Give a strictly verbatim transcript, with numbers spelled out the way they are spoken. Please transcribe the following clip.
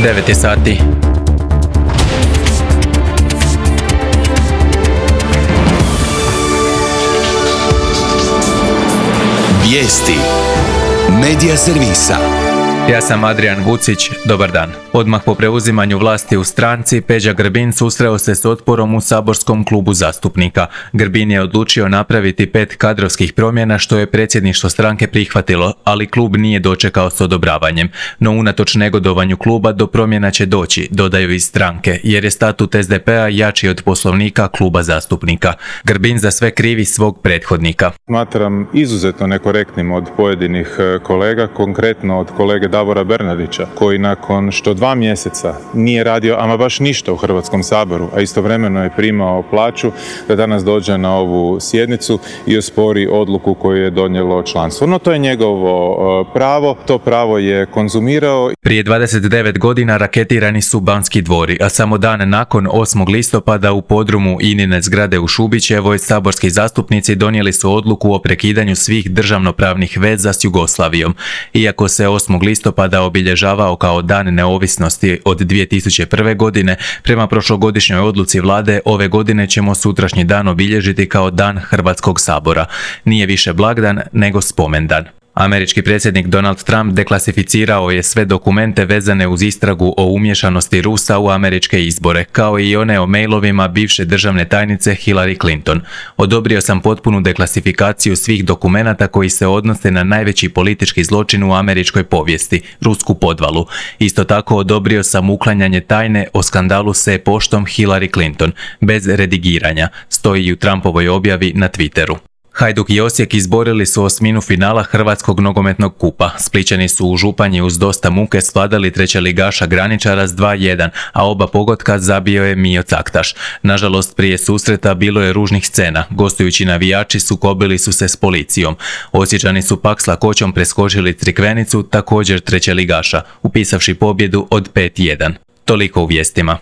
devet je sati. Vijesti Medija servisa. Ja sam Adrian Vucić, dobar dan. Odmah po preuzimanju vlasti u stranci, Peđa Grbin susreo se s otporom u saborskom klubu zastupnika. Grbin je odlučio napraviti pet kadrovskih promjena što je predsjedništvo stranke prihvatilo, ali klub nije dočekao s odobravanjem. No unatoč negodovanju kluba do promjena će doći, dodaju iz stranke, jer je statut es de pe a jači od poslovnika kluba zastupnika. Grbin za sve krivi svog prethodnika. Smatram izuzetno nekorektnim od pojedinih kolega, konkretno od kolege Davora Bernardića, koji nakon što dva mjeseca nije radio ama baš ništa u Hrvatskom saboru, a istovremeno je primao plaću, da danas dođe na ovu sjednicu i ospori odluku koju je donijelo članstvo. No to je njegovo pravo, to pravo je konzumirao. Prije dvadeset devet godina raketirani su Banski dvori, a samo dan nakon osmog listopada u podrumu Inine zgrade u Šubićevoj saborski zastupnici donijeli su odluku o prekidanju svih državnopravnih veza s Jugoslavijom. Iako se osmog listopada obilježavao kao dan neovisnosti od dvije tisuće prve. godine, prema prošlogodišnjoj odluci vlade, ove godine ćemo sutrašnji dan obilježiti kao dan Hrvatskog sabora. Nije više blagdan, nego spomendan. Američki predsjednik Donald Trump deklasificirao je sve dokumente vezane uz istragu o umješanosti Rusa u američke izbore, kao i one o mailovima bivše državne tajnice Hillary Clinton. Odobrio sam potpunu deklasifikaciju svih dokumenata koji se odnose na najveći politički zločin u američkoj povijesti, rusku podvalu. Isto tako odobrio sam uklanjanje tajne o skandalu s e-poštom Hillary Clinton, bez redigiranja, stoji u Trumpovoj objavi na Twitteru. Hajduk i Osijek izborili su osminu finala Hrvatskog nogometnog kupa. Splićani su u Županji uz dosta muke svladali trećeligaša Graničara s dva jedan, a oba pogotka zabio je Mijo Caktaš. Nažalost, prije susreta bilo je ružnih scena. Gostujući navijači sukobili su se s policijom. Osječani su pak s lakoćom preskočili Crikvenicu, također trećeligaša, upisavši pobjedu od pet jedan. Toliko u vijestima.